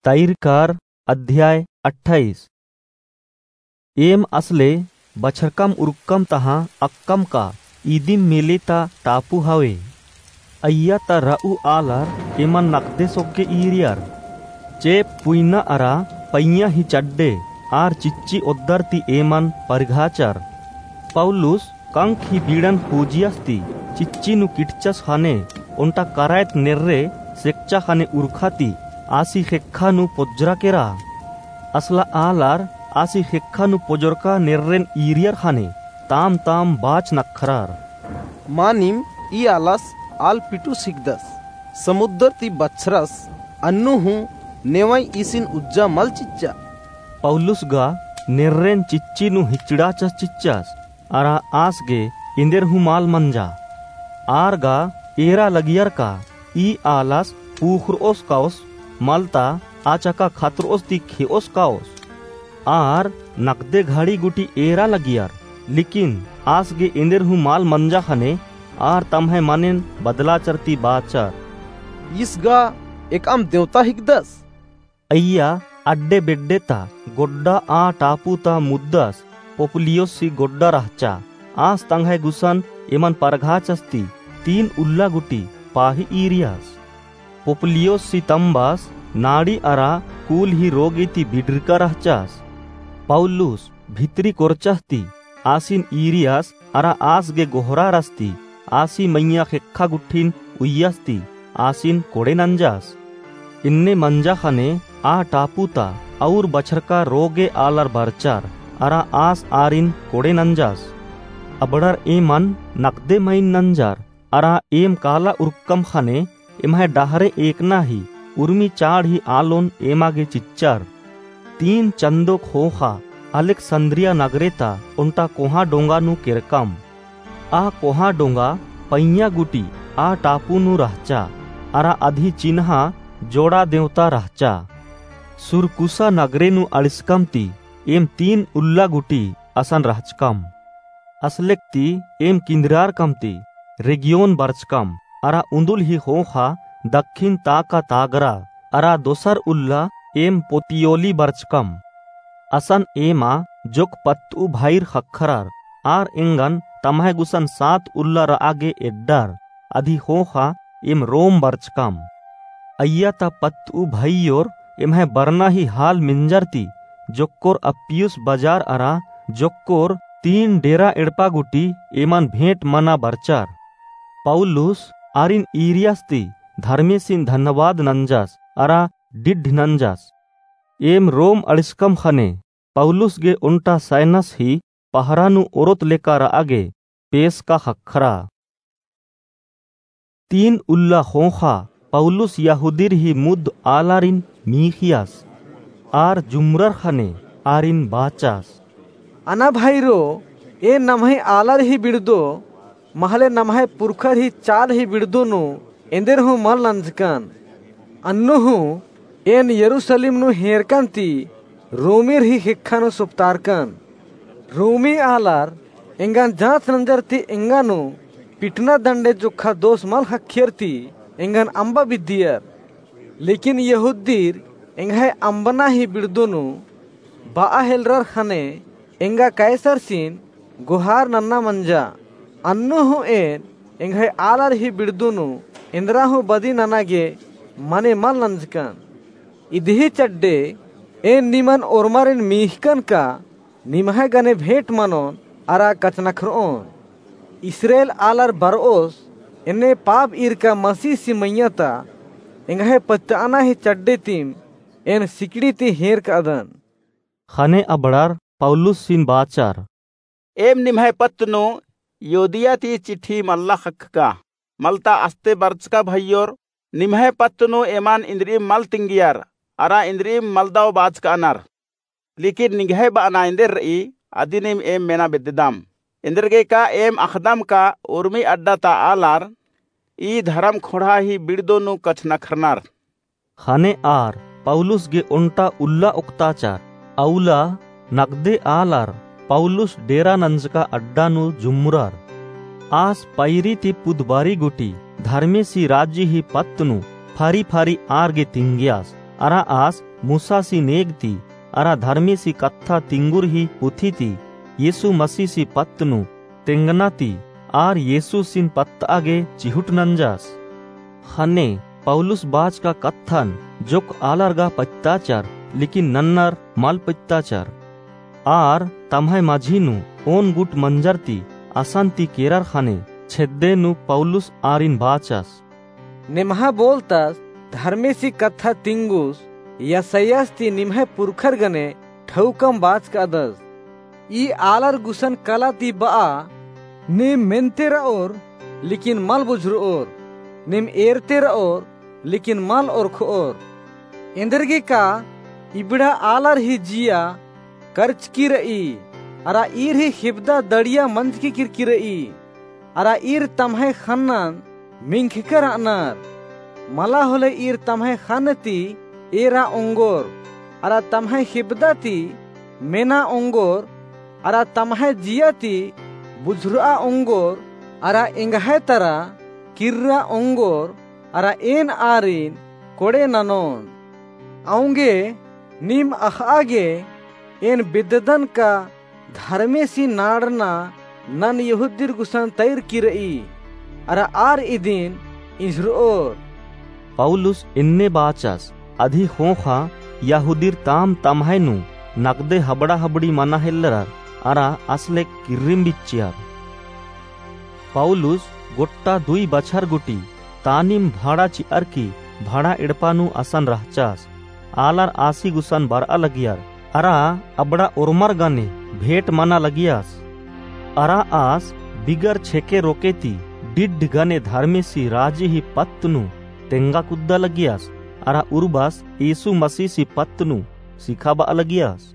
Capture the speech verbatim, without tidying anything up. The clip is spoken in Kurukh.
तैरकार अध्याय अट्ठाईस। एम असले बछरकम उरकम तहाँ अक्कम का इदिम मेले ता टापू हवे। अइय्या ता रऊ आलर एमन नकदे सोग्गे ईरियर। चेंप पुइना अरा पइय्याँ ही चड्डे आर चिच्ची ओद्दर ती एमन परघाचर। पौलुस कंक ही बीड़न खोजियस ती चिच्ची नू किटचस ख़ने ओन्टा करायत नेर्रे सेकचा ख़ने उरखा ती आसी ख़ेक्खा नू पोज्जरा केरा। असला आलर आसी ख़ेक्खा नू पोज्जरका नेर्रेन ईरियर ख़ने ताम ताम बाच नखरर। मानिम ई आलस आल पिटुस हिकदस, समुद्दर ती बछरस, अन्नु हूँ नेवई ईसिन उज्जा मल चिच्चा। पौलुस गा नेर्रेन चिच्ची नू हिचड़ाचस चिच्चस, अरा आस गे एन्देर हूँ मल मंजा। आर गा एरा लगियर का ई आलस पूख़रओस काओस, मलता आ चका खतरओस ती खेओस काओस। आर नकदे घड़ी गूटी एरा लगियर, लेकिन आस गे एन्देर हूँ मल मंजा ख़ने आर तम्है मनेन बदलाचर ती बाचर। ईस गा एकअम देवता हिकदस। अइय्या अड्डे बेड्डे ता गोड्डा आ टापू ता मुद्दस पुबलियुस ही गोड्डा रहचा। आस तंग्है गुसन एमन परघाचस ती तीन उल्ला गूटी पाही ईरियस। पुबलियुस ही तम्बस नाड़ी अरा कूल ही रोगे ती बिडरका रहचस। पौलुस भितरी कोरचस ती आसिन ईरियस अरा आस गे गोहरारस ती आसी मइय्याँ ख़ेक्खा गुट्ठिन उइय्यस ती आसिन कोड़े नंजस। इन्ने मंजा ख़ने आ टापू ता अउर बछरका रोगे आलर बरचर अरा आस आरिन कोड़े नंजस। अबड़र एमन नकदे मइन नंजर अरा एम काला उरकम ख़ने एम्है डहरे एकना ही उर्मी चाड़ ही आलोन एमा गे चिच्चर। तीन चन्दो ख़ोख़ा अलेक्सन्द्रिया नगरे ता ओन्टा कोहाँ डोंगा नू केरकम। आ कोहाँ डोंगा पइय्याँ गूटी आ टापू नू रहचा, अरा अदही चिन्हा जोड़ा देवता रहचा। सुरकूसा नगरे नू अंड़सकम ती एम तीन उल्ला गूटी असन रहचकम। असलेक ती एम किन्द्रियारकम ती रेगियोन बरचकम, अरा उन्दुल ही ख़ोख़ा दक्खिन ता का तागरा, अरा दोसर उल्ला एम पोतियोली बरचकम। असन एमा जोक पत्तऊ भइर ख़क्खरर, आर एंगन तम्है गुसन सात उल्ला रआ गे एड्डर, अदही ख़ोख़ा एम रोम बरचकम। अइय्या ता पत्तऊ भइयोर एम्है बरना ही हाल मेंजर ती जोक्कोर अप्पियुस बजार अरा जोक्कोर तीन डेरा एड़पा गूटी एमन भेंट मना बरचर। पौलुस आरिन ईरियस ती धर्मेसिन धन्यवाद नंजस अरा डिड्ढ नंजस। एम रोम अंड़सकम ख़ने पौलुस गे ओन्टा सैनस ही पहरा नू ओरोत लेका रआ गे पेसका ख़क्खरा। तीन उल्ला ख़ोख़ा पौलुस यहूदीर ही मुद्द आलारिन मीख़ियस। आर जुमरर ख़ने आरिन बाचस। अना भइरो, एन नम्है आलर ही बिड़दो, महले नम्है पुरखर ही चाल ही बिड़दो नू एन्देर हूँ मल नंजकन। अन्नु हूँ एन यरूसलेम नू हेरकन ती रोमीर ही ख़ेक्खा नू सुपतारकन। रोमी आलर एंगन जाँच नंजर ती एंगा नू पिटना दंडे जोक्खा दोस मल ख़क्खियर ती एंगन अम्बा बिद्दियर। लेकिन यहूदीर एंग्है अम्बना ही बिड़दो नू बआ हेलरर ख़ने एंगा कैसरसिन गोहार नन्ना मंजा। अन्नु हूँ एन एंग्है आलर ही बिड़दो नू एन्दरा हूँ बदी नना गे मने मल नंजकन। इदही चड्डे एन निमन ओर्मारिन मीख़कन का निम्है गने भेंट मनोन अरा कछनखरओन। इस्राएल आलर बरओस एन्ने पाप ईरका मसीहसी मइय्याँ ता एंग्है पत्तअना ही चड्डे तिम एन सिकड़ी ती हेरकदन। ख़ने अबड़र पौलुसिन बाचर। एम निम्है पत्त नू युदिया ती चिट्ठी मल्ला ख़क्खका, मलता अस्ते बरचका भइयोर निम्है पत्त नू एमन इन्द्रिइम मल तिंगियर, अरा इन्द्रिइम मलदव बाचकानर। लेकिन निंग्है बअना एन्देर रई, अदिनिम एम मेना बेद्ददम। एन्देरगे का एम अख़दम का उर्मी अड्डा ता आलर ई धरम ख़ोंड़हा ही बिड़दो नू कछनखरनर। ख़ने आर पौलुस गे ओन्टा उल्ला ओक्ताचर। अउला नगदे आलर पौलुस डेरा नंजका अड्डा नू जुम्मरर। आस पैरी ती पुदबारी गूटी धर्मेसी राजी ही पत्त नू फारी फारी आर गे तिंगियास। अरा आस मूसासी नेग ती अरा धर्मेसी कत्था तिंगुरही पुथी ती यीसु मसीसी पत्त नू तेंगना ती आर यीसुसिन पत्तआ गे चिहुट नंजस। ख़ने पौलुस बाचका कत्थन जोक्क आलर गा पत्ताचर, लेकिन नन्नर मल पत्ताचर। आर तम्है मझी नू ओन गुट मंजर ती असन ती केरर ख़ने छेद्दे नू पौलुस आरिन बाचस। निम्है बोलतस धर्मेसी कत्था तिंगुस यसायास ती निम्है पुरखर गने ठौकम बाचकादस। ई आलर गुसन कला ती बआ, नीम मेन्ते रओर, लेकिन मल बुझुरओर, नीम एरते रओर, लेकिन मल ओरखोर। एन्देरगे का इबड़ा आलर ही जिया करचकी रई, अरा ईर ही ख़िबदा दड़िया मंजकी किरकी रई, अरा ईर तम्है ख़न्नन मिंख़कर अनर। मला होले ईर तम्है ख़न्न ती एरा ओंगोर, अरा तम्है ख़िबदा ती मेना ओंगोर, अरा तम्है जिया ती बुझुरआ ओंगोर, अरा एंग्है तरा किर्रा ओंगोर, अरा एन आरिन कोड़े ननोन। औंगे नीम अख़आ गे एन बिद्ददन का धर्मेसी नाड़ना नन यहूदीर गुसन तैरकी रई, अरा आर इदिन इंझुरओर। पौलुस एन्ने बाचस, अदी ख़ोख़ा यहूदीर ताम तम्है नू नगदे हबड़ा हबड़ी मना हेल्लरर, अरा असले किर्रिम बिच्चियर। पौलुस गोट्टा दुई बछर गूटी तानिम भाड़ा चिअर की भाड़ा एड़पा नू असन रहचस। आलर आसी गुसन बरआ लगियर, अरा अबड़ा ओर्मर गने भेंट मना लगियस। अरा आस बिगर छेके रोके ती डिड्ड गने धर्मेसी राजी ही पत्त नू तेंगा कुद्दा लगियस, अरा उर्बस यीसु मसीसी पत्त नू सिखाबआ लगियस।